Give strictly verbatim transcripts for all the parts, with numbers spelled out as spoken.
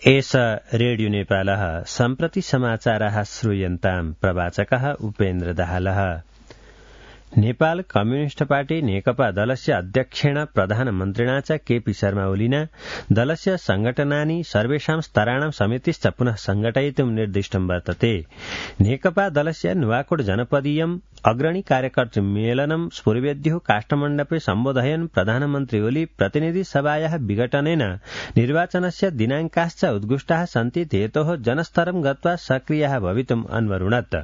एष रेडियो नेपालः सम्प्रति समाचाराः श्रूयन्ताम् प्रवाचकः उपेन्द्र दाहालः। नेपाल कम्युनिस्ट पार्टी नेकपा दलस्य अध्यक्षेण प्रधानमन्त्रिणा च केपी शर्मा ओलिना दलस्य संघटनानि सर्वेषां स्तराणां समितिश्च पुनः संघटयितुं निर्दिष्टं वर्तते। नेकपा दलस्य नुवाकोट जनपदीयम् अग्रणी कार्यकर्तृ मेलनं स्फुरवेद्युः काष्ठमण्डपे सम्बोधयन् प्रधानमन्त्री ओली प्रतिनिधि सभायाः विघटनेन निर्वाचनस्य दिनाङ्काश्च उद्घुष्टाः सन्ति हेतोः जनस्तरं गत्वा सक्रियः भवितुम् अन्वरुणत्।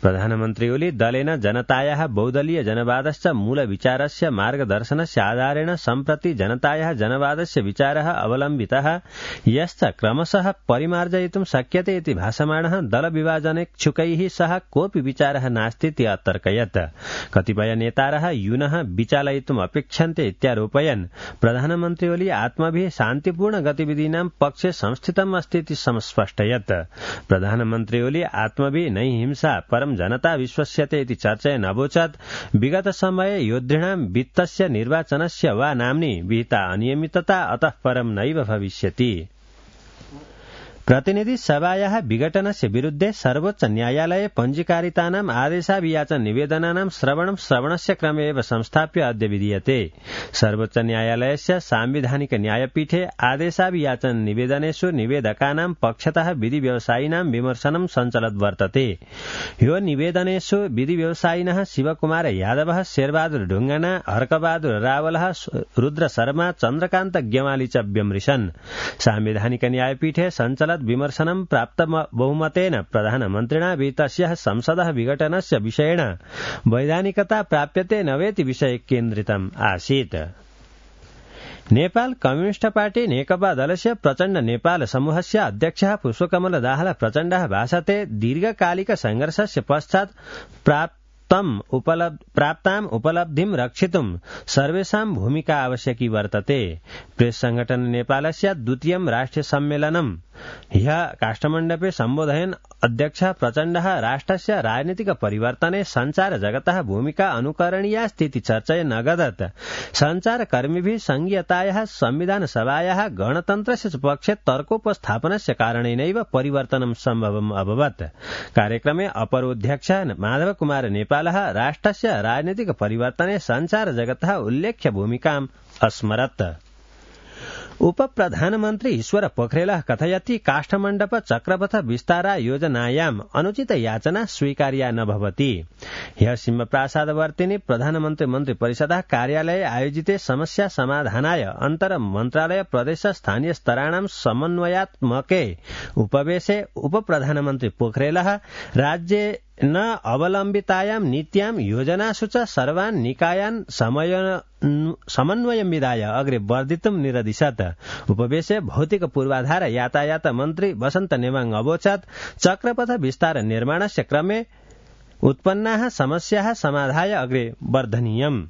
प्रधानमन्त्री ओली दलेन जनतायाः बहुदलीय जनवादस्य मूलविचारस्य मार्गदर्शनस्य आधारेण सम्प्रति जनतायाः जनवादस्य विचारः अवलम्बितः यश्च क्रमशः परिमार्जयितुं शक्यते इति भासमाणः दलविभाजनेच्छुकैः सह कोऽपि विचारः नास्तीति अतर्कयत्। कतिपय नेतारः यूनः विचालयितुम् अपेक्षन्ते इत्यारोपयन् प्रधानमन्त्री ओली आत्मभिः शान्तिपूर्ण गतिविधीनां पक्षे संस्थितम् अस्ति इति स्पष्टयत्। प्रधानमन्त्री ओली आत्मभिः नै हिंसा परं जनता विश्वस्यते इति चर्चयन् अवोचत् विगत समये योद्धॄणां वित्तस्य निर्वाचनस्य वा नाम्नि विहिता अनियमितता अतः परं नैव भविष्यति। प्रतिनिधि सभायाः विघटनस्य विरुद्धे सर्वोच्च न्यायालये पञ्जीकारितानाम् आदेशाभियाचन निवेदनानां श्रवणं श्रवणस्य क्रमे एव संस्थाप्य अद्य विधीयते। सर्वोच्च न्यायालयस्य सांविधानिक न्यायपीठे आदेशाभियाचन निवेदनेषु निवेदकानां पक्षतः विधि व्यवसायिनां विमर्शनं सञ्चलत् वर्तते। यो निवेदनेषु विधि व्यवसायिनः शिवकुमार यादवः, शेरबहादुर ढुङ्गाना, हर्कबहादुर रावलः, रुद्र शर्मा, चन्द्रकान्त गेवाली च व्यमृशन्। सांविधानिक न्यायपीठे सञ्चलत् विमर्शनं प्राप्त बहुमतेन प्रधानमन्त्रिणा विहितस्य संसदः विघटनस्य विषयेण वैधानिकता प्राप्यते न वेति विषये केन्द्रितम् आसीत्। नेपाल कम्युनिस्ट पार्टी नेकपा दलस्य प्रचण्ड नेपाल समूहस्य अध्यक्षः पुष्पकमल दाहाल प्रचण्डः भाषते दीर्घकालिक संघर्षस्य पश्चात् प्राप्त प्राप्ताम् उपलब्धिं रक्षितुं सर्वेषां भूमिका आवश्यकी वर्तते। प्रेस संगठन नेपालस्य द्वितीयं राष्ट्रिय सम्मेलनं ह्यः काष्ठमण्डपे सम्बोधयन् अध्यक्षः प्रचण्डः राष्ट्रस्य राजनीतिक परिवर्तने सञ्चार जगतः भूमिका अनुकरणीयास्ति इति चर्चयन् अगदत्। सञ्चारकर्मिभिः संघीयतायाः संविधान सभायाः गणतन्त्रस्य पक्षे तर्कोपस्थापनस्य कारणेनैव परिवर्तनं सम्भवम् अभवत्। कार्यक्रमे अपरोऽध्यक्षः माधव कुमार नेपालः राष्ट्रस्य राजनीतिक परिवर्तने सञ्चार जगतः उल्लेख्य भूमिकाम् अस्मरत्। उप प्रधानमन्त्री ईश्वर पोखरेलः कथयति काष्ठमण्डप चक्रपथ विस्तारा योजनायाम् अनुचित याचना स्वीकार्या न भवति। ह्यः सिंहप्रासादवर्तिनि प्रधानमन्त्री मन्त्री परिषदः कार्यालये आयोजिते समस्या समाधानाय अन्तर मन्त्रालय प्रदेश स्थानीय स्तराणां समन्वयात्मके उपवेशे उप प्रधानमन्त्री पोखरेलः राज्ये न अवलम्बितायां नीत्यां योजनासु च सर्वान् निकायान् समन्वयं विधाय अग्रे वर्धितुं निरदिशत्। उपवेशे भौतिक पूर्वाधार यातायात मन्त्री वसन्त नेवाङ अवोचत् चक्रपथ विस्तार निर्माणस्य क्रमे उत्पन्नाः समस्याः समाधाय अग्रे वर्धनीयम्।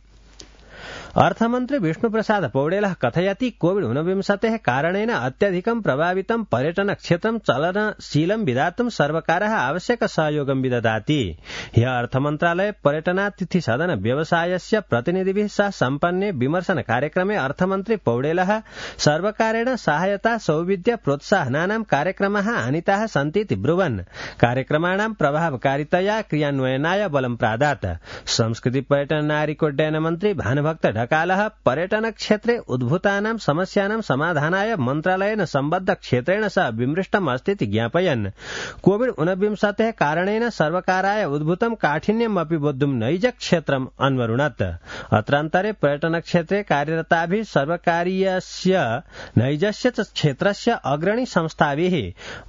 अर्थमन्त्री विष्णुप्रसाद पौडेलः कथयति कोविड ऊनविंशतेः कारणेन अत्यधिकं प्रभावितं पर्यटन क्षेत्रं चलनशीलं विधातुं सर्वकारः आवश्यक सहयोगं विदधाति। ह्यः अर्थमन्त्रालये पर्यटनातिथि सदन व्यवसायस्य प्रतिनिधिभिः सह सम्पन्ने विमर्शन कार्यक्रमे अर्थमन्त्री पौडेलः सर्वकारेण सहायता सौविध्य प्रोत्साहनानां कार्यक्रमाः आनीताः सन्तीति ब्रुवन् कार्यक्रमाणां प्रभावकारितया क्रियान्वयनाय बलं प्रादात्। संस्कृति पर्यटन नागरिकोड्डयन मन्त्री भानुभक्त ढकालः पर्यटन क्षेत्रे उद्भूतानां समस्यानां समाधानाय मन्त्रालयेन सम्बद्ध क्षेत्रेण सह विमृष्टम् अस्तीति ज्ञापयन्। कोविड ऊनविंशतेः कारणेन सर्वकाराय उद्भूतं काठिन्यम् अपि बोद्धुं नैज क्षेत्रम् अन्वरुणत्। अत्रान्तरे पर्यटन क्षेत्रे कार्यरताभिः सर्वकारीयस्य नैजस्य च क्षेत्रस्य अग्रणी संस्थाभिः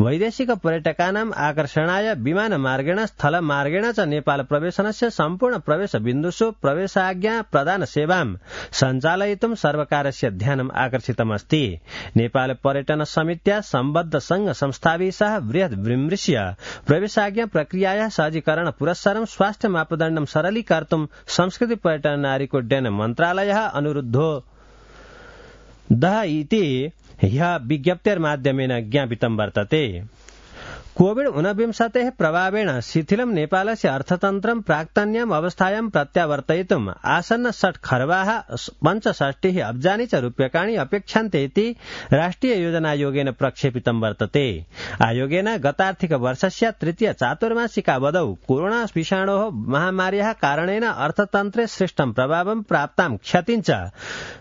वैदेशिक पर्यटकानाम् आकर्षणाय विमानमार्गेण स्थलमार्गेण च नेपाल प्रवेशनस्य सम्पूर्ण प्रवेश बिन्दुषु प्रवेशाज्ञा प्रदान सेवां सञ्चालयितुं सर्वकारस्य ध्यानम् आकर्षितमस्ति। नेपाल पर्यटन समित्या सम्बद्ध संघ संस्थाभिः सह बृहत् विमृश्य प्रवेशाज्ञा प्रक्रियायाः सहजीकरण पुरस्सरं स्वास्थ्य मापदण्डं सरलीकर्तुं संस्कृति पर्यटन नागरिकोड्डयन मन्त्रालयः अनुरुद्धो दः इति ह्यः विज्ञप्तेर्माध्यमेन ज्ञापितं वर्तते। कोविड ऊनविंशतेः प्रभावेण शिथिलं नेपालस्य अर्थतन्त्रं प्राक्तन्याम् अवस्थायां प्रत्यावर्तयितुम् आसन्न षट् खर्वाः पञ्चषष्टिः अब्जानि च रूप्यकाणि अपेक्षन्ते इति राष्ट्रिय योजनायोगेन प्रक्षेपितं वर्तते। आयोगेन गतार्थिक वर्षस्य तृतीय चातुर्मासिकावधौ कोरोना विषाणोः महामार्याः कारणेन अर्थतन्त्रे सृष्टं प्रभावं प्राप्तां क्षतिं च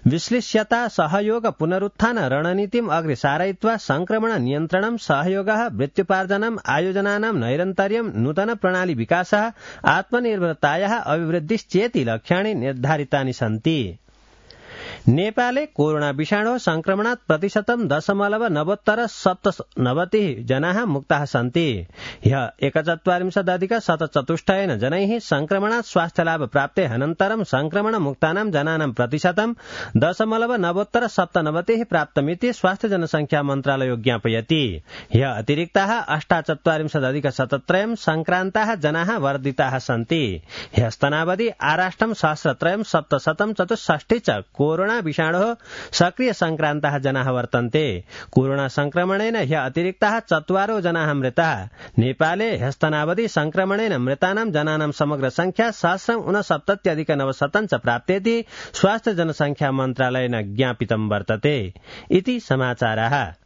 विश्लिष्यता सहयोग पुनरुत्थान रणनीतिम् अग्रे सारयित्वा संक्रमण नियन्त्रणं सहयोगः मृत्युपार्जनम् आयोजनानां नैरन्तर्यं नूतन प्रणाली विकासः आत्मनिर्भरतायाः अभिवृद्धिश्चेति लक्ष्याणि निर्धारितानि सन्ति। नेपाले कोरोना विषाणोः संक्रमणात् प्रतिशतं दशमलव नवोत्तर सप्तनवतिः जनाः मुक्ताः सन्ति। ह्यः एकचत्वारिंशदधिक शतचतुष्टयेन जनैः संक्रमणात् स्वास्थ्यलाभ प्राप्ते अनन्तरं संक्रमण मुक्तानां जनानां प्रतिशतं दशमलव नवोत्तर सप्तनवतिः प्राप्तमिति स्वास्थ्य जनसंख्या मन्त्रालयो ज्ञापयति। ह्यः अतिरिक्ताः अष्टाचत्वारिंशदधिक शतत्रयं संक्रान्ताः जनाः वर्धिताः सन्ति। ह्यस्तनावधि आराष्ट्रं सहस्रत्रयं सप्तशतं चतुष्षष्टि च कोरोना विषाणोः सक्रिय संक्रान्ताः जनाः वर्तन्ते। कोरोना संक्रमणेन ह्यः अतिरिक्ताः चत्वारो जनाः मृताः। नेपाले ह्यस्तनावधि संक्रमणेन मृतानां जनानां समग्र संख्या सहस्रं ऊनसप्तत्यधिक नवशतं च प्राप्तेति स्वास्थ्य जनसंख्या मन्त्रालयेन ज्ञापितं वर्तते। इति समाचाराः।